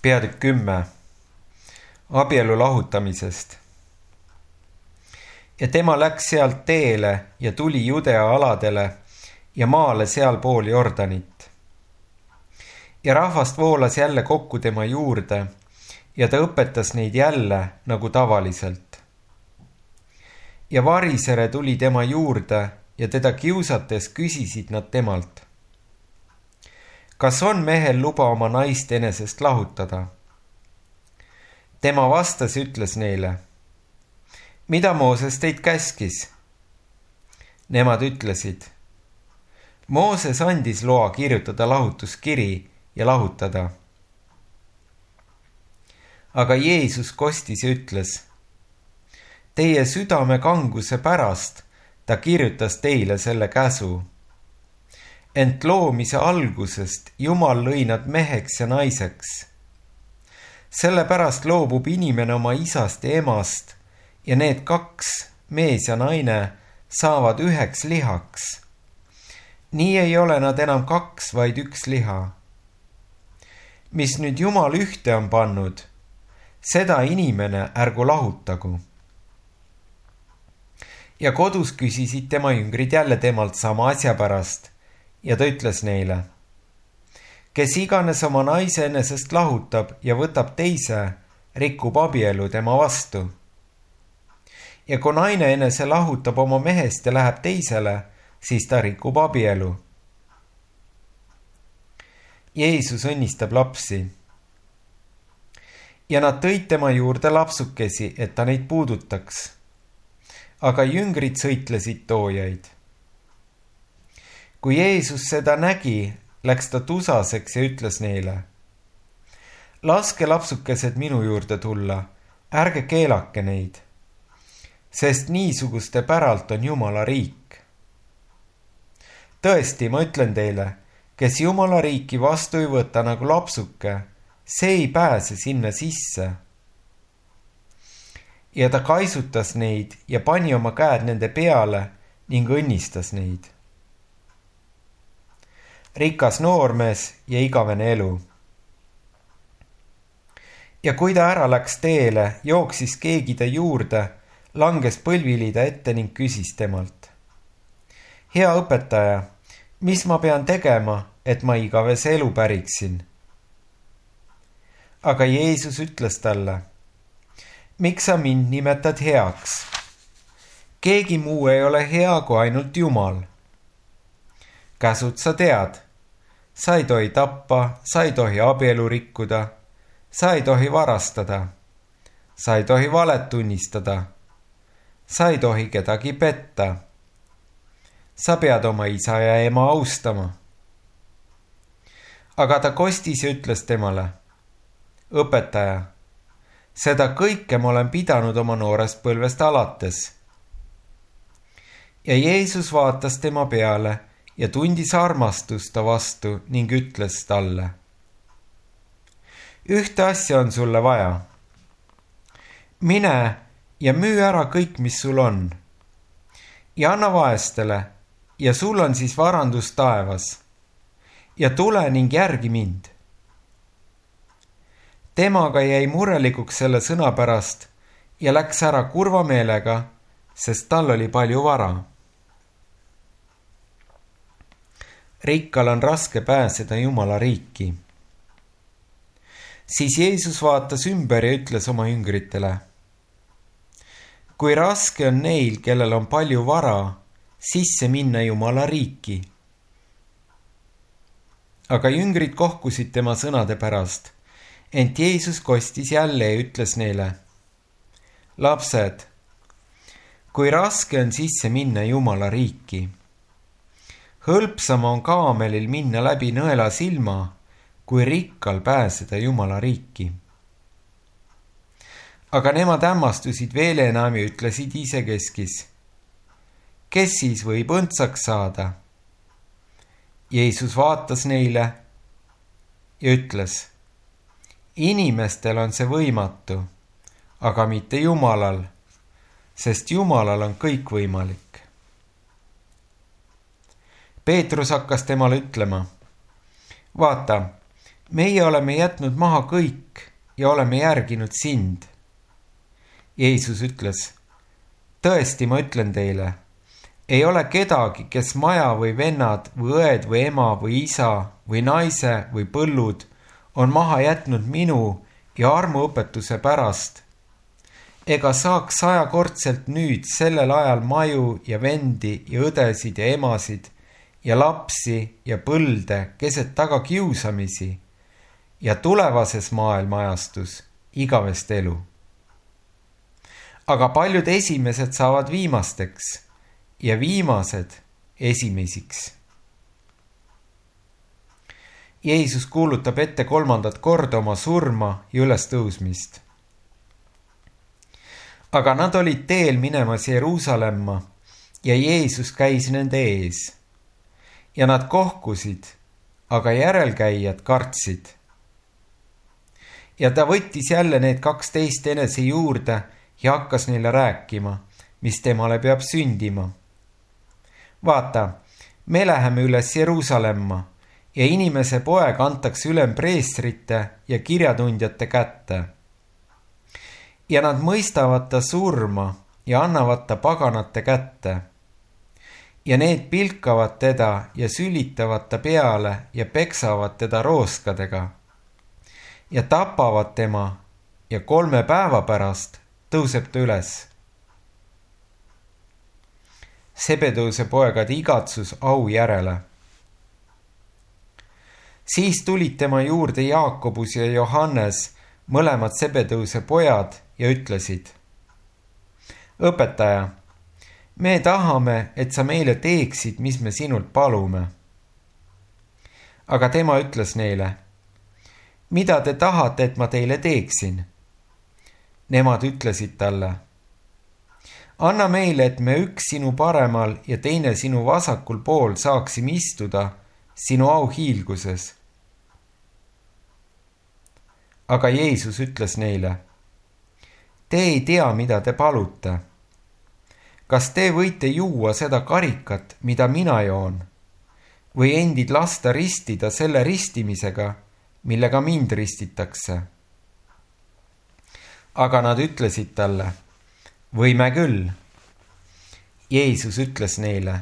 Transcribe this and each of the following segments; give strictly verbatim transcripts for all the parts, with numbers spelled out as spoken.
peatükk kümme. Abielu lahutamisest. Ja tema läks sealt teele ja tuli Judea aladele ja maale sealpool Jordanit. Ja rahvast voolas jälle kokku tema juurde ja ta õpetas neid jälle nagu tavaliselt. Ja varisere tuli tema juurde ja teda kiusates küsisid nad temalt: kas on mehel luba oma naist enesest lahutada? Tema vastas, ütles neile: mida Mooses teid käskis? Nemad ütlesid: Mooses andis loa kirjutada lahutuskiri ja lahutada. Aga Jeesus kostis ja ütles: teie südame kanguse pärast ta kirjutas teile selle käsu. Ent loomise algusest Jumal lõi nad meheks ja naiseks. Sellepärast loobub inimene oma isast ja emast ja need kaks, mees ja naine, saavad üheks lihaks. Nii ei ole nad enam kaks, vaid üks liha. Mis nüüd Jumal ühte on pannud, seda inimene ärgu lahutagu. Ja kodus küsisid tema jüngrid jälle temalt sama asja pärast ja ta ütles neile: kes iganes oma naise enesest lahutab ja võtab teise, rikub abielu tema vastu. Ja kui naine enese lahutab oma mehest ja läheb teisele, siis ta rikub abielu. Jeesus õnnistab lapsi. Ja nad tõid tema juurde lapsukesi, et ta neid puudutaks. Aga jüngrid sõitlesid toojaid. Kui Jeesus seda nägi, läks ta tusaseks ja ütles neile: laske lapsukesed minu juurde tulla, ärge keelake neid, sest niisuguste päralt on Jumala riik. Tõesti, ma ütlen teile, kes Jumala riiki vastu ei võta nagu lapsuke, see ei pääse sinna sisse. Ja ta kaisutas neid ja pani oma käed nende peale ning õnnistas neid. Rikas noormees ja igavene elu. Ja kui ta ära läks teele, jooksis keegi ta juurde, langes põlvili ta ette ning küsis temalt: hea õpetaja, mis ma pean tegema, et ma igavese elu päriksin? Aga Jeesus ütles talle: miks sa mind nimetad heaks? Keegi muu ei ole hea kui ainult Jumal. Käsud sa tead: sa ei tohi tappa, sa ei tohi abielu rikkuda, sa ei tohi varastada, sa ei tohi valet tunnistada, sa ei tohi kedagi petta. Sa pead oma isa ja ema austama. Aga ta kostis ja ütles temale: õpetaja, seda kõike ma olen pidanud oma noorest põlvest alates. Ja Jeesus vaatas tema peale ja tundis armastust ta vastu ning ütles talle: ühte asja on sulle vaja. Mine ja müü ära kõik, mis sul on, ja anna vaestele, ja sul on siis varandus taevas, ja tule ning järgi mind. Temaga jäi murelikuks selle sõna pärast ja läks ära kurva meelega, sest tal oli palju vara. Rikkal on raske pääseda Jumala riiki. Siis Jeesus vaatas ümber ja ütles oma jüngritele: kui raske on neil, kellel on palju vara, sisse minna Jumala riiki. Aga jüngrid kohkusid tema sõnade pärast, ent Jeesus kostis jälle ja ütles neile: lapsed, kui raske on sisse minna Jumala riiki. Hõlpsam on kaamelil minna läbi nõela silma, kui rikkal pääseda Jumala riiki. Aga nemad hämmastusid veel enam ja ütlesid isekeskis: kes siis võib õndsaks saada? Jeesus vaatas neile ja ütles: inimestel on see võimatu, aga mitte Jumalal, sest Jumalal on kõik võimalik. Peetrus hakkas temale ütlema: vaata, meie oleme jätnud maha kõik ja oleme järginud sind. Jeesus ütles, tõesti, ma ütlen teile, ei ole kedagi, kes maja või vennad või õed või ema või isa või naise või põllud on maha jätnud minu ja armuõpetuse pärast, ega saaks sajakordselt nüüd sellel ajal maju ja vendi ja õdesid ja emasid ja lapsi ja põlde keset taga kiusamisi ja tulevases maailmaajastus igavest elu. Aga paljud esimesed saavad viimasteks ja viimased esimesiks. Jeesus kuulutab ette kolmandat korda oma surma ja ülestõusmist. Aga nad olid teel minemas Jeruusalemma ja Jeesus käis nende ees. Ja nad kohkusid, aga järelkäijad kartsid. Ja ta võttis jälle need kaksteist enese juurde ja hakkas neile rääkima, mis temale peab sündima. Vaata, me läheme üles Jeruusalemma ja inimese poeg antakse ülempreestrite ja kirjatundjate kätte. Ja nad mõistavad ta surma ja annavad ta paganate kätte. Ja need pilkavad teda ja sülitavad ta peale ja peksavad teda rooskadega. Ja tapavad tema ja kolme päeva pärast tõuseb ta üles. Sebedeuse poegade igatsus au järele. Siis tulid tema juurde Jaakobus ja Johannes, mõlemad Sebedeuse pojad, ja ütlesid, õpetaja, me tahame, et sa meile teeksid, mis me sinult palume. Aga tema ütles neile, mida te tahate, et ma teile teeksin? Nemad ütlesid talle, anna meile, et me üks sinu paremal ja teine sinu vasakul pool saaksime istuda sinu auhiilguses. Aga Jeesus ütles neile, te ei tea, mida te palute. Kas te võite juua seda karikat, mida mina joon, või endid lasta ristida selle ristimisega, millega mind ristitakse? Aga nad ütlesid talle, võime küll. Jeesus ütles neile,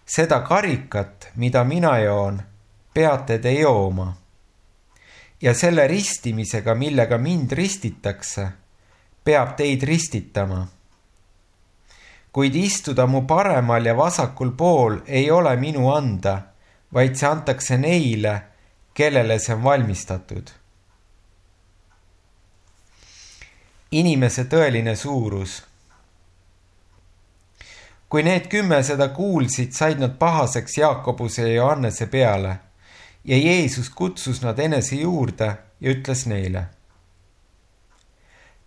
seda karikat, mida mina joon, peate te jooma. Ja selle ristimisega, millega mind ristitakse, peab teid ristitama. Kuid istuda mu paremal ja vasakul pool ei ole minu anda, vaid see antakse neile, kellele see on valmistatud. Inimese tõeline suurus. Kui need kümme seda kuulsid, said nad pahaseks Jaakobuse ja Johannese peale ja Jeesus kutsus nad enese juurde ja ütles neile,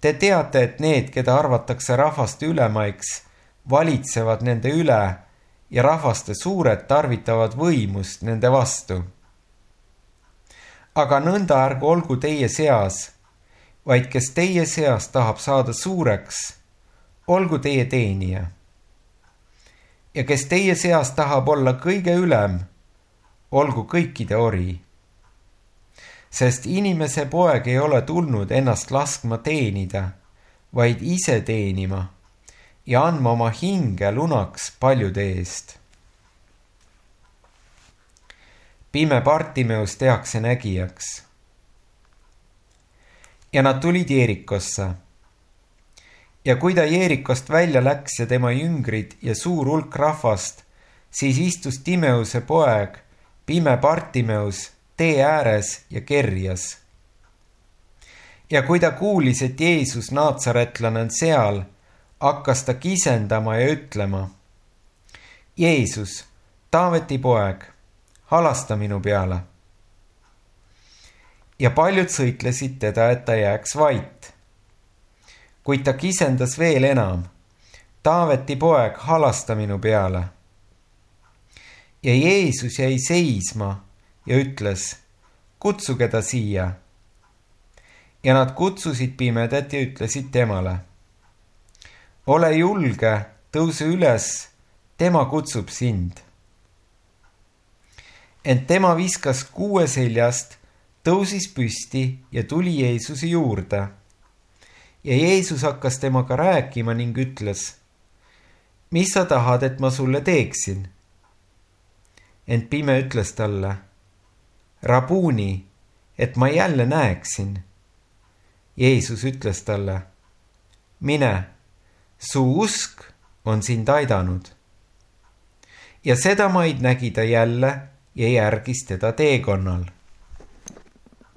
te teate, et need, keda arvatakse rahvaste ülemaiks, valitsevad nende üle ja rahvaste suured tarvitavad võimust nende vastu. Aga nõnda ärgu olgu teie seas, vaid kes teie seas tahab saada suureks, olgu teie teenija. Ja kes teie seas tahab olla kõige ülem, olgu kõikide ori. Sest inimese poeg ei ole tulnud ennast laskma teenida, vaid ise teenima ja andma oma hinge lunaks paljude eest. Pime Bartimeus tehakse nägijaks. Ja nad tulid Jeerikosse. Ja kui ta Jeerikost välja läks ja tema jüngrid ja suur hulk rahvast, siis istus Timeuse poeg, pime Bartimeus, tee ääres ja kerjas. Ja kui ta kuulis, et Jeesus naatsaretlane on seal, hakkas ta kisendama ja ütlema, Jeesus, Taaveti poeg, halasta minu peale. Ja paljud sõitlesid teda, et ta jääks vait. Kuid ta kisendas veel enam, Taaveti poeg, halasta minu peale. Ja Jeesus jäi seisma ja ütles, kutsuge ta siia. Ja nad kutsusid pimedat ja ütlesid temale, ole julge, tõuse üles, tema kutsub sind. Ent tema viskas kuue seljast, tõusis püsti ja tuli Jeesuse juurde. Ja Jeesus hakkas temaga rääkima ning ütles: mis sa tahad, et ma sulle teeksin? Ent pime ütles talle: Rabuni, et ma jälle näeksin. Jeesus ütles talle: mine, su usk on sind aidanud. Ja seda maid nägi ta jälle ja järgis teda teekonnal.